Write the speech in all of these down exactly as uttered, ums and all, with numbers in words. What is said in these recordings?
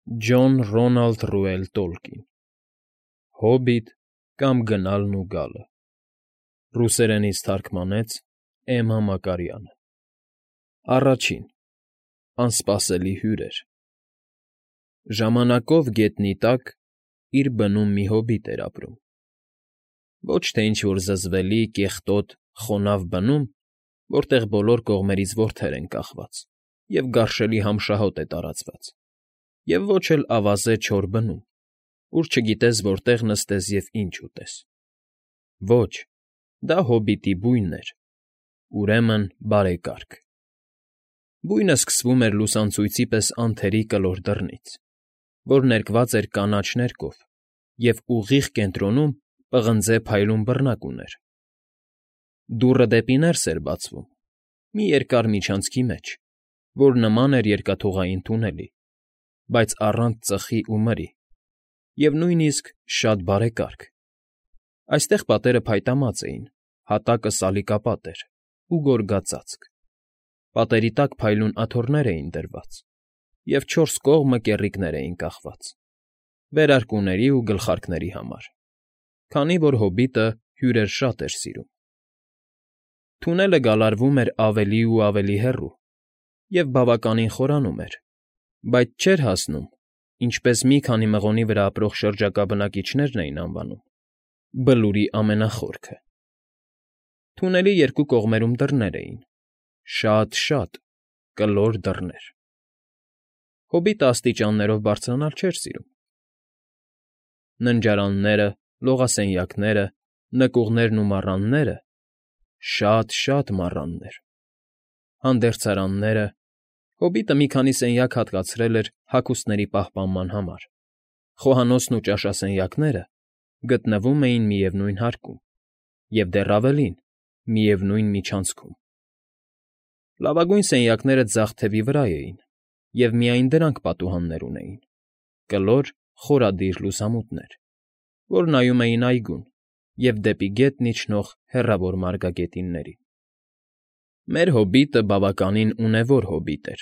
Ջոն Ռոնալդ Ռուել Տոլկին Հոբիտ կամ Գնալն ու գալը Ռուսերենից թարգմանեց Էմմա Մակարյանը Առաջին Անսպասելի հյուրեր Ժամանակով գետնի տակ իր բնում մի հոբիտ էր ապրում, ոչ թե ինչ֊որ զզվելի, կեղտոտ, խոնավ բնում, որտեղ բոլոր կողմերից որդեր են կախված և գարշելի համշահոտ է տարածված, և ոչ էլ ավազե չոր բնում, ուր չգիտես որտեղ նստես և ինչ ուտես. ոչ, դա հոբիտի բույնն էր, ուրեմն բարեկարգ. Բույնը սկսվում էր լուսանցույցի պես անթերի կլոր դռնից, որ ներկված էր կանաչ ներկով և ուղիղ կենտրոնում պղնձե փայլուն բռնակ ուներ. դուռը դեպի ներս էր բացվում, մի երկար միջանցքի մեջ, որ նման էր երկաթուղային թունելի, բայց առանց ծխի ու մրի, և նույնիսկ շատ բարեկարգ. այստեղ պատերը փայտամած էին, հատակը սալիկապատ էր ու գորգածածկ, պատերի տակ փայլուն աթոռներ էին դրված, և չորս կողմը կեռիկներ էին կախված, վերարկուների ու գլխարկների համար, քանի որ հոբիտը հյուրեր շատ էր սիրում. Թունելը գալարվում էր ավելի ու ավելի հեռու և բավականին խորանում էր, բայց չէր հասնում, ինչպես մի քանի մղոնի վրա ապրող շրջակա բնակիչներն էին անվանում, Բլուրի ամենախորքը. Թունելի երկու կողմերում դռներ էին, շատ֊շատ, կլոր դռներ. Հոբիտը աստիճաններով բարձրանալ չէր սիրում. ննջարանները, լողասենյակները, նկուղներն ու մառանները, շատ֊շատ մառաններ, հանդերձարանները, հոբիտը մի քանի սենյակ հատկացրել էր հագուստների պահպանման համար, խոհանոցն ու ճաշասենյակները գտնվում էին միևնույն հարկում և դեռ ավելին, միևնույն միջանցքում. լավագույն սենյակները ձախ թևի վրա էին, և միայն դրանք պատուհաններ ունեին, կլոր, խորադիր լուսամուտներ, որ նայում էին այգուն և դեպի գետն իջնող հեռավոր մարգագետիններին։ Մեր հոբիտը բավականին ունևոր հոբիտ էր,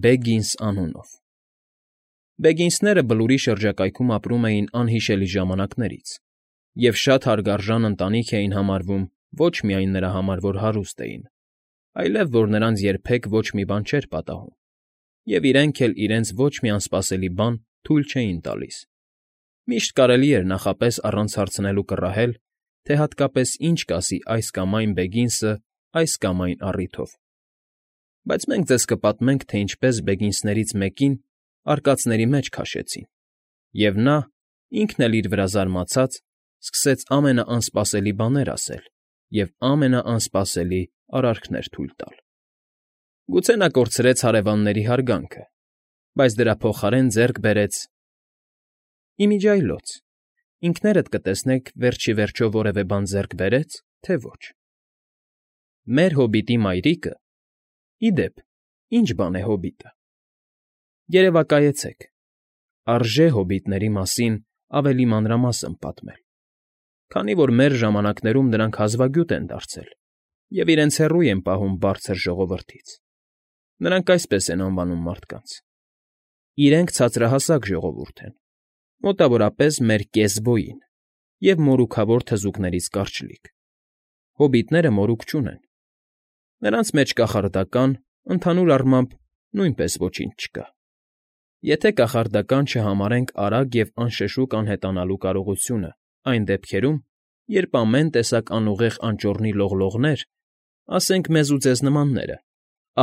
Բեգինս անունով. Բեգինսները Բլուրի շրջակայքում ապրում էին անհիշելի ժամանակներից և շատ հարգարժան ընտանիք էին համարվում ոչ միայն նրա համար, որ հարուստ էին, այլև որ նրանց երբեք ոչ մի բան չէր պատահում, և իրենք էլ իրենց ոչ մի անսպասելի բան թույլ չէին տալիս. միշտ կարելի էր նախապես առանց հարցնելու կռահել, թե հատկապես ինչ կասի այս կամ այն Բեգինսը այս կամ այն առիթով, բայց մենք ձեզ կպատմենք, թե ինչպես Բեգինսներից մեկին արկածների մեջ քաշեցին, և նա, ինքն էլ իր վրա զարմացած, սկսեց ամենաանսպասելի բաներ ասել և ամենաանսպասելի արարքներ թույլ տալ. Գուցե նա կորցրեց հարևանների հարգանքը, բայց դրա փոխարեն ձեռք բերեց… Ի միջի այլոց, ինքներդ կտեսնեք վերջ ի վերջո որևէ բան ձեռք բերե՞ց, թե ոչ։ Մեր հոբիտի մայրիկը… Ի դեպ, ի՞նչ բան է հոբիտը… Երևակայեցեք, արժե հոբիտների մասին ավելի մանրամասն պատմել, քանի որ մեր ժամանակներում նրանք հազվագյուտ են դարձել և իրենց հեռու են պահում Բարձր ժողովրդից. նրանք այսպես են անվանում մարդկանց. իրենք ցածրահասակ ժողովուրդ են, մոտավորապես մեր կես֊բոյին և մորուքավոր թզուկներից կարճլիկ. հոբիտները մորուք չունեն, նրանց մեջ կախարդական, ընդհանուր առմամբ, նույնպես ոչինչ չկա, եթե կախարդական չհամարենք արագ և անշշուկ անհետանալու կարողությունը այն դեպքերում, երբ ամեն տեսակ անուղեղ անճոռնի լողլողներ, ասենք մեզ ու ձեզ նմանները,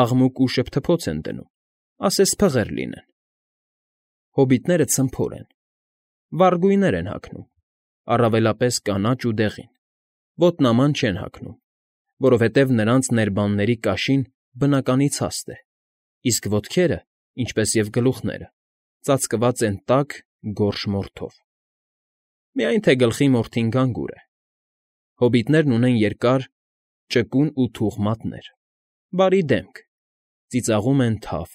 աղմուկ ու շփթփոց են դնում, ասես փղեր լինեն. հոբիտները ցմփոր են, վառ գույներ են հագնում, առավելապես կանաչ ու դեղին, ոտնաման չեն հագնում, որովհետև նրանց ներբանների կաշին բնականից հաստ է, իսկ ոտքերը, ինչպես և գլուխները, ծածկված են տաք, գորշ մորթով. Միայն թե գլխի մորթին գանգուր է. հոբիտներն ունեն երկար, ճկուն ու թուխ մատներ, բարի դեմք, ծիծաղում են թավ,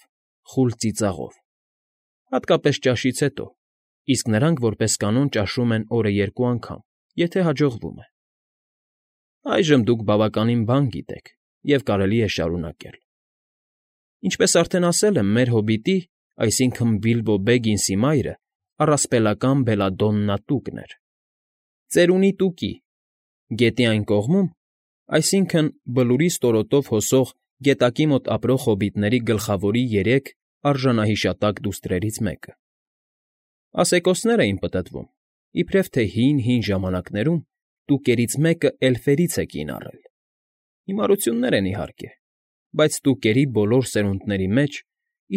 խուլ ծիծաղով, հատկապես ճաշից հետո, իսկ նրանք, որպես կանոն, ճաշում են օրը երկու անգամ, եթե հաջողվում է։ Այժմ դուք բավականին բան գիտեք և կարելի է շարունակել. Ինչպես արդեն ասել եմ, մեր հոբիտի, այսինքն Բիլբո Բեգինսի մայրը առասպելական Բելադոննա Տուկն էր։ Ծերունի Տուկի, գետի այն կողմում, այսինքն Բլուրի ստորոտով հոսող գետակի մոտ ապրող հոբիտների գլխավորի երեք արժանահիշատակ դուստրերից մեկը։ Ասեկոսներ էին պտտվում, իբրև թե հին֊հին ժամանակներում Տուկերից մեկը էլֆերից է կին առել։ Հիմարություններ են, իհարկե, բայց Տուկերի բոլոր սերունդների մեջ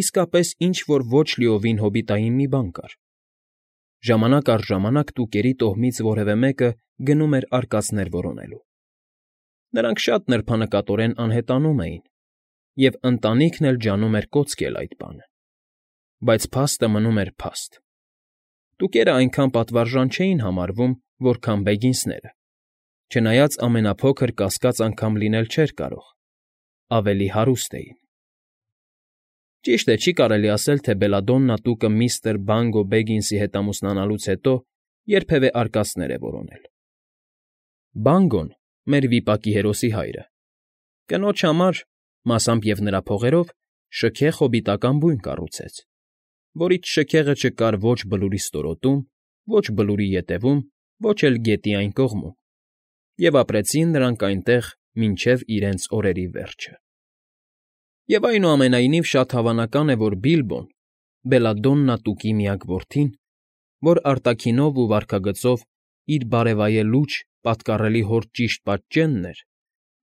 իսկապես ինչ֊որ ոչ լիովին հոբիտային մի բան կար։ Ժամանակ առ ժամանակ Տուկերի տոհմից որևէ մեկը գնում էր արկածներ որոնելու։ Նրանք շատ նրբանկատորեն անհետանում էին, և ընտանիքն էլ ջանում էր կոծկել այդ բանը։ Բայց փաստը մնում էր փաստ։ Տուկերը այնքան պատվարժան չէին համարվում, որքան Բեգինսները, չնայած ամենափոքր կասկած անգամ լինել չէր կարող, ավելի հարուստ էին։ Ճիշտ է, չի կարելի ասել, թե Բելադոննա Տուկը միստր Բանգո Բեգինսի հետ ամուսնանալուց հետո երբևէ արկածներ է որոնել։ Բանգոն, մեր վիպակի հերոսի հայրը, կնոջ համար, մասամբ և նրա փողերով, շքեղ հոբիտական բույն կառուցեց, որից շքեղը չկար ոչ Բլուրի ստորոտում, ոչ Բլուրի ետևում, ոչ էլ գետի այն կողմում, և ապրեցին նրանք այնտեղ մինչև իրենց օրերի վերջը։ Եվ այնուամենայնիվ շատ հավանական է, որ Բիլբոն, Բելադոննա Տուկի միակ որդին, որ արտաքինով ու վարքագծով իր բարեվայելուչ, պատկառելի հոր ճիշտ պատճենն էր,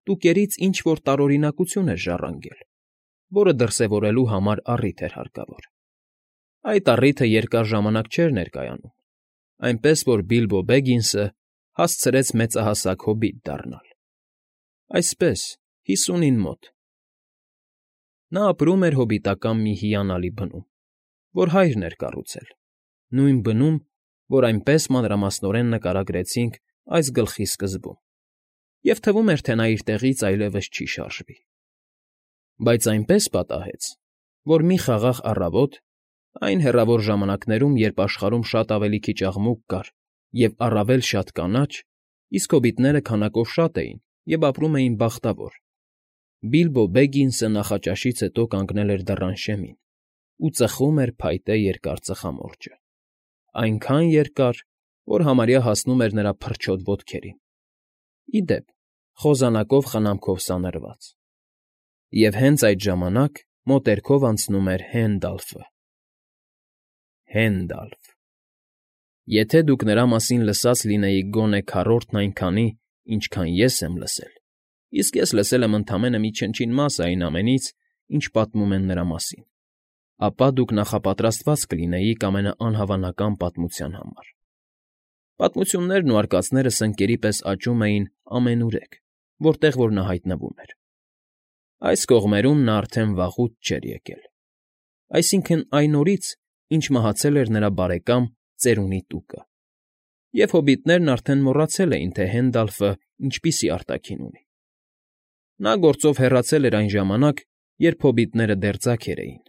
Տուկերից ինչ֊որ տարօրինակություն էր ժառանգել, որը դրսևորելու համար առիթ էր հարկավոր։ Այդ առիթը երկար ժամանակ չէր ներկայանում, այնպես որ Բիլբո Բեգինսը հասցրեց մեծահասակ հոբիտ դառնալ։ Այսպես, հիսունին մոտ։ Նա ապրում էր հոբիտական մի հիանալի բնում, որ հայրն էր կառուցել, նույն բնում, որ այնպես մանրամասնորեն նկարագրեցինք այս գլխի սկզբում, և թվում էր, թե նա իր տեղից այլևս չի շարժվի։ Բայց այնպես պատահեց, որ մի խաղաղ առավոտ, այն հեռավոր ժամանակներում, երբ աշխարհում շատ ավելի քիչ աղմուկ կար և առավել շատ կանաչ, իսկ հոբիտները քանակով շատ էին և ապրում էին բախտավոր, Բիլբո Բեգինսը նախաճաշից հետո կանգնել էր դռան շեմին ու ծխում էր փայտե երկար ծխամորճը, այնքան երկար, որ համարյա հասնում էր նրա փռչոտ ոտքերին, ի դեպ, խոզանակով խնամքով սանրված։ Եվ հենց այդ ժամանակ մոտերքով անցնում էր Հենդալֆը։ Հենդալֆ… Եթե դուք նրա մասին լսած լինեիք գոնե քառորդն այնքանի, ինչքան ես եմ լսել, իսկ ես լսել եմ ընդամենը մի չնչին մասը այն ամենից, ինչ պատմում են նրա մասին, ապա դուք նախապատրաստված կլինեիք ամենաանհավանական պատմության համար։ Պատմություններն ու արկածները սնկերի պես աճում էին ամենուրեք, որտեղ որ նա հայտնվում էր։ Այս կողմերում նա արդեն վաղուց չէր եկել, այսինքն՝ այն օրից, ինչ մահացել էր նրա բարեկամ Ծերունի Տուկը, և հոբիտներն արդեն մոռացել էին, թե Հենդալֆը ինչպիսի արտաքին ունի։ Նա գործով հեռացել էր այն ժամանակ, երբ հոբիտները դեռ ձագեր էին,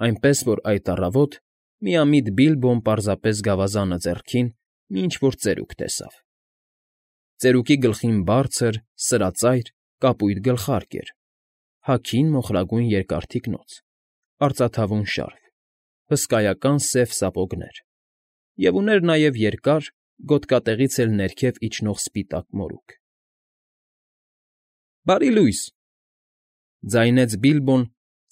այնպես որ այդ առավոտ միամիտ Բիլբոն պարզապես գավազանը ձեռքին մի ինչ֊որ ծերուկ տեսավ։ Ծերուկի գլխին բարձր, սրածայր, կապույտ գլխարկ էր, հագին մոխրագույն երկար թիկնոց, արծաթավուն շարֆ, հսկայական սև սապոգներ և ուներ նաև երկար, գոտկատեղից էլ ներքև իջնող սպիտակ մորուք։ ֊ Բարի լույս,֊ ձայնեց Բիլբոն,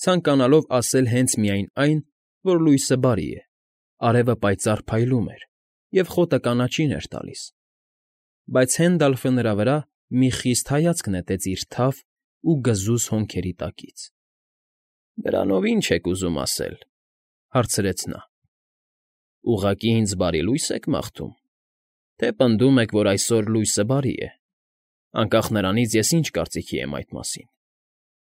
ցանկանալով ասել հենց միայն այն, որ լույսը բարի է, արևը պայծառ փայլում էր, և խոտը կանաչին էր տալիս, բայց Հենդալֆը նրա վրա մի խիստ հայացք նետեց իր թավ ու գզուզ հոնքերի տակից։ ֊ Դրանով ի՞նչ եք ուզում ասել,֊ հարցրեց նա։ Ուղղակի ինձ բարի լույս եք մաղթում, թե պնդում եք, որ այսօր լույսը բարի է, անկախ նրանից ես ինչ կարծիքի եմ այդ մասին,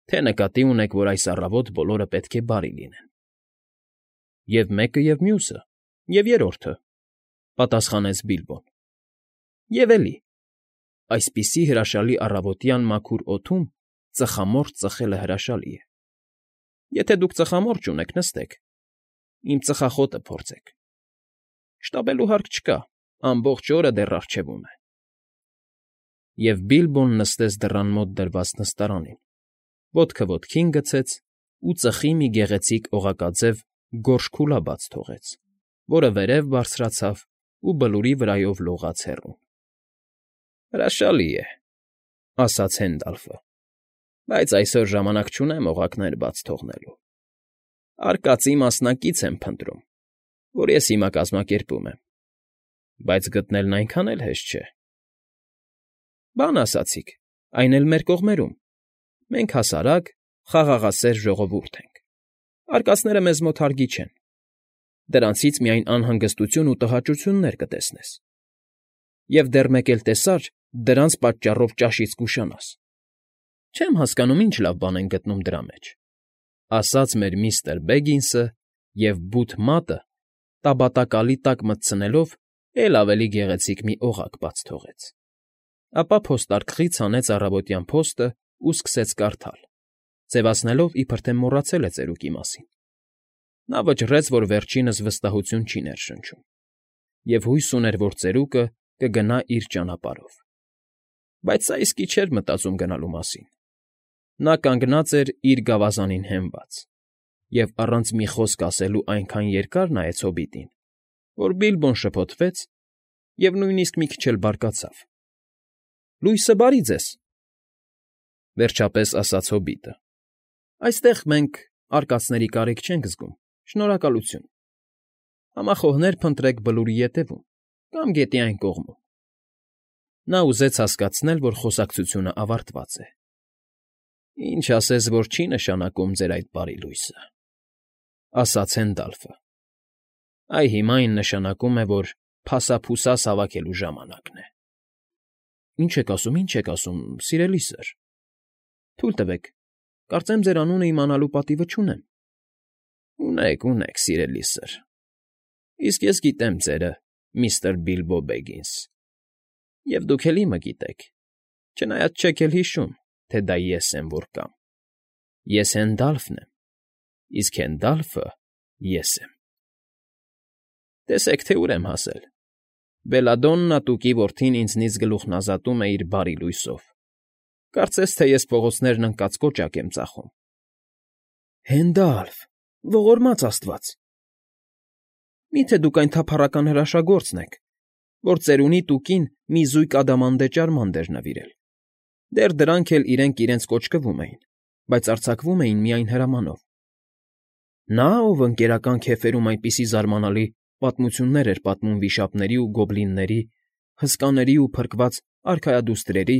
թե նկատի ունեք, որ այս առավոտ բոլորը պետք է բարի լինեն։ ֊ Եվ մեկը, և մյուսը, և երրորդը,֊ պատասխանեց Բիլբոն։ ֊ Եվ էլի, այսպիսի հրաշալի առավոտյան մաքուր օդում ծխամորճ ծխելը հրաշալի է։ Եթե դուք ծխամորճ ունեք, նստեք, իմ ծխախոտը փորձեք։ Շտապելու հարկ չկա, ամբողջ օրը դեռ առջևում է։ Եվ Բիլբոն նստեց դռան մոտ դրված նստարանին, ոտքը ոտքին գցեց ու ծխի մի գեղեցիկ օղակաձև գորշ քուլա բաց թողեց, որը վերև բարձրացավ ու Բլուրի վրայով լողաց հեռուն։ ֊ Հրաշալի է,֊ ասաց Հենդալֆը,֊ բայց այսօր ժամանակ չունեմ օղակներ բաց թողնելու։ Արկածի մասնակից եմ փնտրում, որ ես հիմա կազմակերպում եմ, բայց գտնելն այնքան էլ հեշտ չէ։ ֊ Բան ասացիք, այն էլ մեր կողմերում. մենք հասարակ, խաղաղասեր ժողովուրդ ենք, արկածները մեզ մոտ հարգի չեն, դրանցից միայն անհանգստություն ու տհաճություններ կտեսնես, և դեռ մեկ էլ տեսար, դրանց պատճառով ճաշից կուշանաս։ Չեմ հասկանում, ինչ լավ բան են գտնում դրա մեջ,֊ ասաց մեր միստր Բեգինսը և բութ մատը տաբատակալի տակ մտցնելով էլ ավելի գեղեցիկ մի օղակ բաց թողեց։ Ապա փոստարկղից հանեց առավոտյան փոստն ու սկսեց կարդալ, ձևացնելով, իբրև թե մոռացել է ծերուկի մասին։ Նա վճռեց, որ վերջինս վստահություն չի ներշնչում, և հույս ուներ, որ ծերուկը կգնա իր ճանապարհով։ Բայց սա իսկի չէր մտածում գնալու մասին։ Նա կանգնած էր իր գավազանին հենված և առանց մի խոսք ասելու այնքան երկար նայեց հոբիտին, որ Բիլբոն շփոթվեց և նույնիսկ մի քիչ էլ բարկացավ։ ֊ Լույսը բարի ձեզ,֊ վերջապես ասաց հոբիտը,֊ այստեղ մենք արկածների կարիք չենք զգում, շնորհակալություն։ Համախոհներ փնտրեք Բլուրի ետևում կամ գետի այն կողմում։ Նա ուզեց հասկացնել, որ խոսակցությունն ավարտված է։ Ինչ ասես, որ չի նշանակում ձեր այդ բարի լույսը,֊ ասաց Հենդալֆը։ Այ հիմա այն նշանակում է, որ փասափուսաս հավաքելու ժամանակն է։ ֊ Ինչ եք ասում, ինչ եք ասում, սիրելի սըր… Թույլ տվեք, կարծեմ ձեր անունն իմանալու պատիվը չունեմ։ ֊ Ունեք, ունեք, սիրելի սըր, իսկ ես գիտեմ ձերը, միստր Բիլբո Բեգինս, և դուք էլ իմը գիտեք, չնայած չեք էլ հիշում, թե դա ես եմ, որ կամ։ Ես Հենդալֆն եմ, իսկ Հենդալֆը ես եմ։ Տեսեք, թե ուր եմ հասել. Բելադոննա Տուկի որդին ինձնից գլուխն ազատում է իր բարի լույսով, կարծես թե ես փողոցներն ընկած կոճակ եմ ծախում։ ֊ Հենդալֆ, ողորմած աստված… Մի՞թե դուք այն թափառական հրաշագործն եք, որ ծերունի Տուկին մի զույգ ադամանդե ճարմանդ էր նվիրել։ Դեռ դրանք էլ իրենք իրենց կոճկվում էին, բայց արձակվում էին միայն հրամանով։ Նա, ով ընկերական քեֆերում այնպիսի զարմանալի պատմություններ էր պատմում վիշապների ու գոբլինների, հսկաների ու փրկված արքայադուստրերի,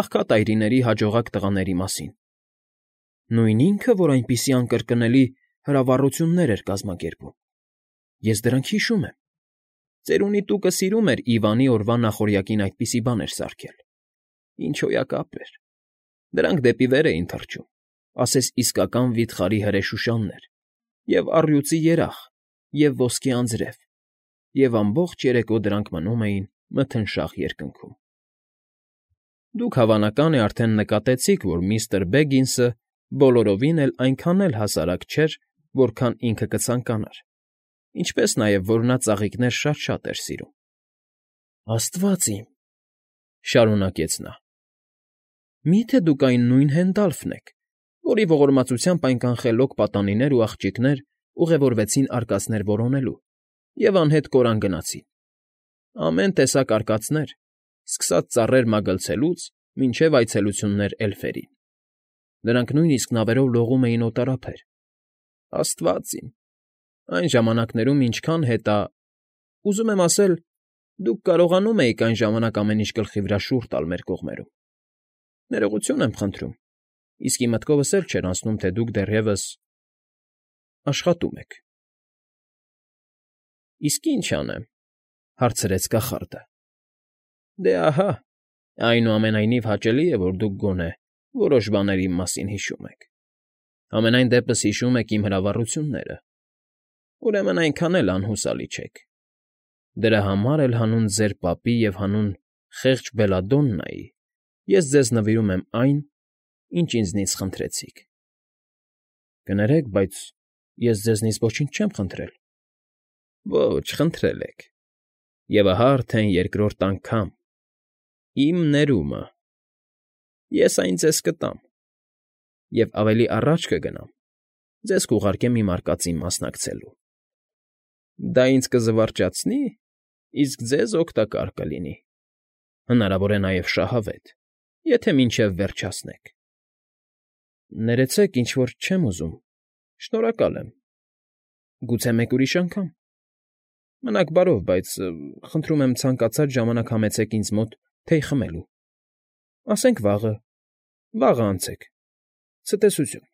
աղքատ-այրիների հաջողակ տղաների մասին։ Նույն ինքը, որ այնպիսի անկրկնելի հրավառություններ էր կազմակերպում։ Ես դրանք հիշում եմ։ Ծերունի Տուկը սիրում էր Իվանի օրվա նախօրյակին այդպիսի բաներ սարքել։ Ինչ հոյակապ էր… Դրանք դեպի վեր էին թռչում, ասես իսկական վիթխարի հրեշուշաններ, և առյուծի երախ, և ոսկե անձրև, և ամբողջ երեկո դրանք մնում էին մթնշաղ երկնքում։ Դուք, հավանական է, արդեն նկատեցիք, որ միստր Բեգինսը բոլորովին էլ այնքան էլ հասարակ չէր, որքան ինքը կցանկանար, ինչպես նաև, որ նա ծաղիկներ շատ֊շատ էր սիրում։ ֊ Աստվա՜ծ իմ,֊ շարունակեց նա,֊ մի՞թե դուք այն նույն Հենդալֆն եք, որի ողորմածությամբ այն կանխելոք պատանիներ ու աղջիկներ ուղևորվեցին արկածներ որոնելու և անհետ կորան գնացին։ Ամեն տեսակ արկածներ, սկսած ծառեր մագլցելուց մինչև այցելություններ էլֆերին։ Նրանք նույնիսկ նավերով լողում էին օտարափեր։ Աստվա՜ծ իմ… Այն ժամանակներում ինչքան հետա… Ուզում եմ ասել, դուք կարողանում էիք այն ժամանակ ամեն ինչ գլխի վրա շուռ տալ մեր կողմերում։ Ներողություն եմ խնդրում, իսկի մտքովս էլ չէր անցնում, թե դուք դեռևս… աշխատում եք։ ֊ Իսկ ի՞նչ անեմ,֊ հարցրեց կախարդը։ ֊ Դե ահա, այնուամենայնիվ հաճելի է, որ դուք գոնե որոշ բաներ իմ մասին հիշում եք, համենայն դեպս հիշում եք իմ հրավառությունները, ուրեմն այնքան էլ անհուսալի չեք։ Դրա համար էլ հանուն ձեր պապի և հանուն խեղճ Բելադոննայի ես ձեզ նվիրում եմ այն, ինչ ինձնից խնդրեցիք։ ֊ Կներեք, բայց ես ձեզնից ոչինչ չեմ խնդրել։ ֊ Ոչ, խնդրել եք, և ահա արդեն երկրորդ անգամ… Իմ ներումը… Ես այն ձեզ կտամ, և ավելի առաջ կգնամ, ձեզ կուղարկեմ իմ արկածին մասնակցելու։ Դա ինձ կզվարճացնի, իսկ ձեզ օգտակար կլինի, հնարավոր է նաև շահավետ, եթե մինչև վերջ հասնեք։ Ներեցեք, ինչ֊որ չեմ ուզում, շնորհակալ եմ, գուցե մեկ ուրիշ անգամ։ Մնաք բարով, բայց խնդրում եմ ցանկացած ժամանակ համեցեք ինձ մոտ թեյ խմելու։ Ասենք վաղը, վաղը անցեք, ցտեսություն։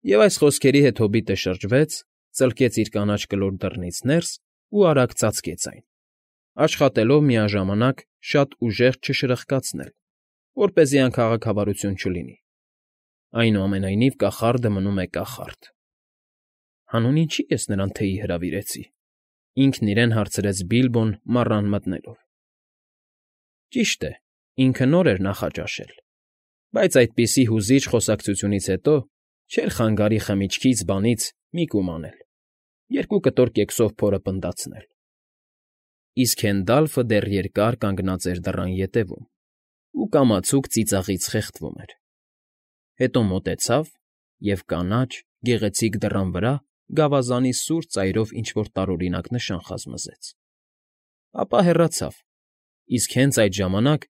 Եվ այս խոսքերի հետ հոբիտը շրջվեց, ծլկեց իր կանաչ կլոր դռնից ներս ու արագ ծածկեց այն, աշխատելով միաժամանակ շատ ուժեղ չշրխկացնել, որպեսզի անքաղաքավարություն չլինի։ Այնուամենայնիվ կախարդը մնում է կախարդ։ Հանուն ինչի՞ ես նրան թեյի հրավիրեցի, ինքն իրեն հարցրեց Բիլբոն մառան մտնելով։ Ճիշտ է, ինքը նոր էր նախաճաշել, բայց այդպիսի հուզիչ խոսակցությունից հետո չէր խանգարի խմիչքից, բանից մի կում անել, երկու կտոր կեքսով փորը պնդացնել։ Իսկ Հենդալֆը դեռ երկար կանգնած էր դռան ետևում ու կամացուկ ծիծաղից խեղդվում էր։ Հետո մոտեցավ և կանաչ, գեղեցիկ դռան վրա գավազանի սուր ծայրով ինչ֊որ տարօրինակ նշան խազմզեց։ Ապա հեռացավ, իսկ հենց այդ ժամանակ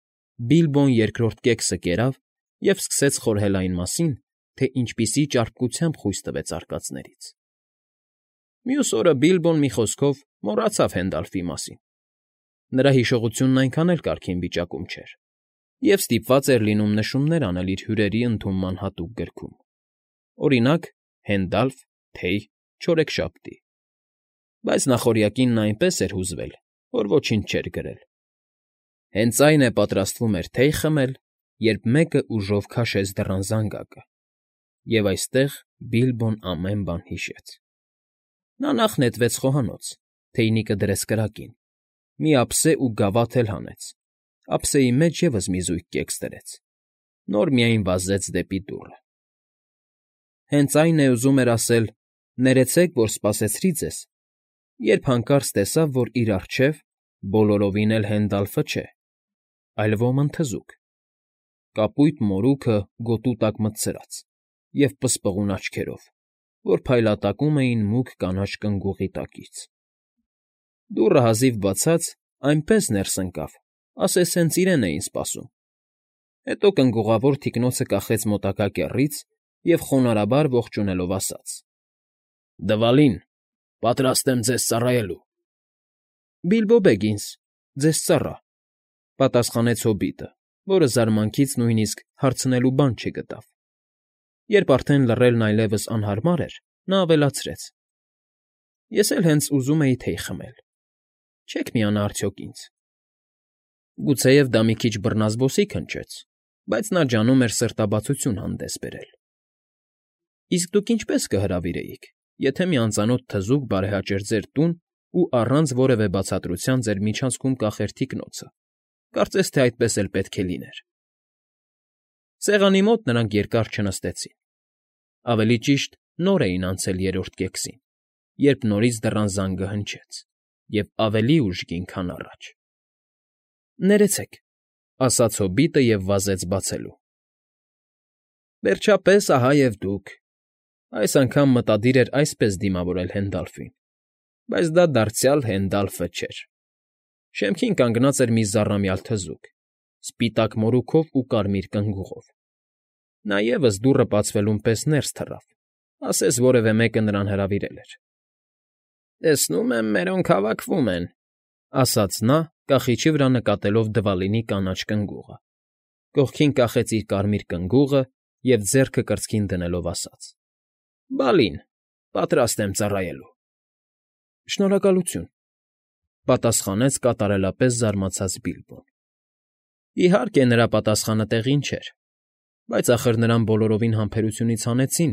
Բիլբոն երկրորդ կեքսը կերավ և սկսեց խորհել այն մասին, թե ինչպիսի ճարպկությամբ խույս տվեց արկածներից։ Մյուս օրը Բիլբոն, մի խոսքով, մոռացավ Հենդալֆի մասին։ Նրա հիշողությունն այնքան էլ կարգին վիճակում չէր, և ստիպված էր լինում նշումներ անել իր հյուրերի ընդունման հատուկ գրքում, օրինակ՝ Հենդալֆ, թեյ, չորեքշաբթի։ Բայց նախօրյակին նա այնպես էր հուզվել, որ ոչինչ չէր գրել։ Հենց այն է պատրաստվում էր թեյ խմել, երբ մեկը ուժով քաշեց դռան զանգակը, և այստեղ Բիլբոն ամեն բան հիշեց։ Նա նախ նետվեց խոհանոց, թեյնիկը դրեց կրակին, մի ափսե ու գավաթ էլ հանեց, ափսեի մեջ ևս մի զույգ կեքս դրեց, նոր միայն վազեց դեպի դուռը։ Հենց այն է, ուզում էր ասել. «Ներեցեք, որ սպասեցրի ձեզ», երբ հանկարծ տեսավ, որ իր առջև բոլորովին էլ Հենդալֆը չէ, այլ ոմն թզուկ, կապույտ մորուքը գոտու տակ մտցրած և պսպղուն աչքերով, որ փայլատակում էին մուգ կանաչ կնգուղի տակից։ Դուռը հազիվ բացած, այնպես ներս ընկավ, ասես հենց իրեն էին սպասում։ Հետո կնգուղավոր թիկնոցը կախեց մոտակա կեռից և խոնարհաբար ողջունելով ասաց. «Դվալին, պատրաստ եմ ձեզ ծառայելու»։ Բիլբո Բեգինս, ձեզ ծառա,֊ պատասխանեց հոբիտը, որը զարմանքից նույնիսկ հարցնելու բան չգտավ։ Երբ արդեն լռելն այլևս անհարմար էր, նա ավելացրեց. «Ես էլ հենց ուզում էի թեյ խմել, չե՞ք միանա արդյոք ինձ»։ Գուցեև դա մի քիչ բռնազբոսիկ հնչեց, բայց նա ջանում էր սրտաբացություն հանդես բերել։ Իսկ դուք ինչպե՞ս կհրավիրեիք, եթե մի անծանոթ թզուկ բարեհաճեր ձեր տուն ու առանց որևէ բացատրության ձեր միջանցքում կախեր թիկնոցը, կարծես թե այդպես էլ պետք է լիներ։ Սեղանի մոտ նրանք երկար չնստեցին։ Ավելի ճիշտ, նոր էին անցել երրորդ կեքսին, երբ նորից դռան զանգը հնչեց, և ավելի ուժգին, քան առաջ։ «Ներեցեք», ասաց հոբիտը և վազեց բացելու։ Վերջապես, ահա և դուք։ Այս անգամ մտադիր էր այսպես դիմավորել Հենդալֆին, բայց դա դարձյալ Հենդալֆը չէր։ Շեմքին կանգնած էր մի զառամյալ թզուկ, սպիտակ մորուքով ու կարմիր կնգուղով։ Նա ևս դուռը բացվելուն պես ներս թռավ, ասես որևէ մեկը նրան հրավիրել էր։ ֊ Տեսնում եմ, մերոնք հավաքվում են,֊ ասաց նա, կախիչի վրա նկատելով Դվալինի կանաչ կնգուղը, կողքին կախեց իր կարմիր կնգուղը և ձեռքը կրծքին դնելով ասաց. «Բալին, պատրաստ եմ ծառայելու»։ «Շնորհակալություն,֊ պատասխանեց կատարելապես զարմացած Բիլբոն։ Իհարկե, նրա պատասխանը տեղին չէր, բայց ախր նրան բոլորովին համբերությունից հանեցին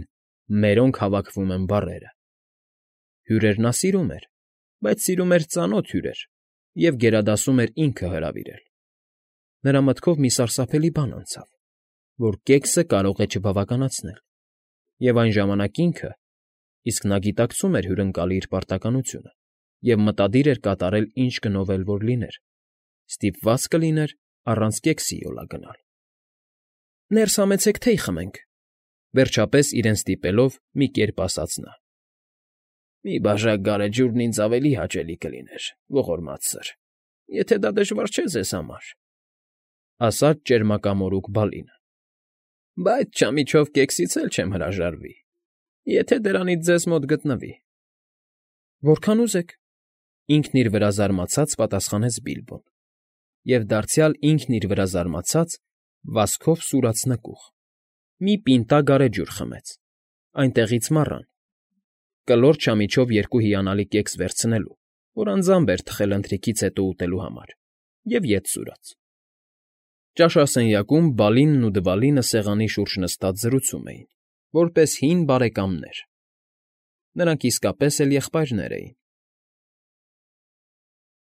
«մերոնք հավաքվում են» բառերը։ Հյուրեր նա սիրում էր, բայց սիրում էր ծանոթ հյուրեր և գերադասում էր ինքը հրավիրել։ Նրա մտքով մի սարսափելի բան անցավ, որ կեքսը կարող է չբավականացնել, և այն ժամանակ ինքը, իսկ նա գիտակցում էր հյուրընկալի իր պարտականությունը և մտադիր էր կատարել ինչ գնով էլ որ լիներ, ստիպված կլիներ առանց կեքսի յոլա գնալ։ ֊ Ներս համեցեք թեյ խմենք,֊ Վերջապես իրեն ստիպելով մի կերպ ասաց նա. Մի բաժակ գարեջուրն ինձ ավելի հաճելի կլիներ, ողորմած սըր, եթե դա դժվար չէ ձեզ համար, ֊ ասաց ճերմակամորուք Բալինը։ ֊ Բայց չամիչով կեքսից էլ չեմ հրաժարվի, եթե դրանից ձեզ մոտ գտնվի։ ֊ Որքան ուզեք, ֊ ինքն իր վրա զարմացած պատասխանեց Բիլբոն և դարձյալ ինքն իր վրա զարմացած վազքով սուրաց նկուղ, մի պինտա գարեջուր խմեց, այնտեղից մառան, կլոր չամիչով երկու հիանալի կեքս վերցնելու, որ անձամբ էր թխել ընթրիքից հետո ուտելու համար, և ետ սուրաց։ Ճաշասենյակում Բալինն ու Դվալինը սեղանի շուրջ նստած զրուցում էին, որպես հին բարեկամներ. նրանք իսկապես էլ եղբայրներ էին։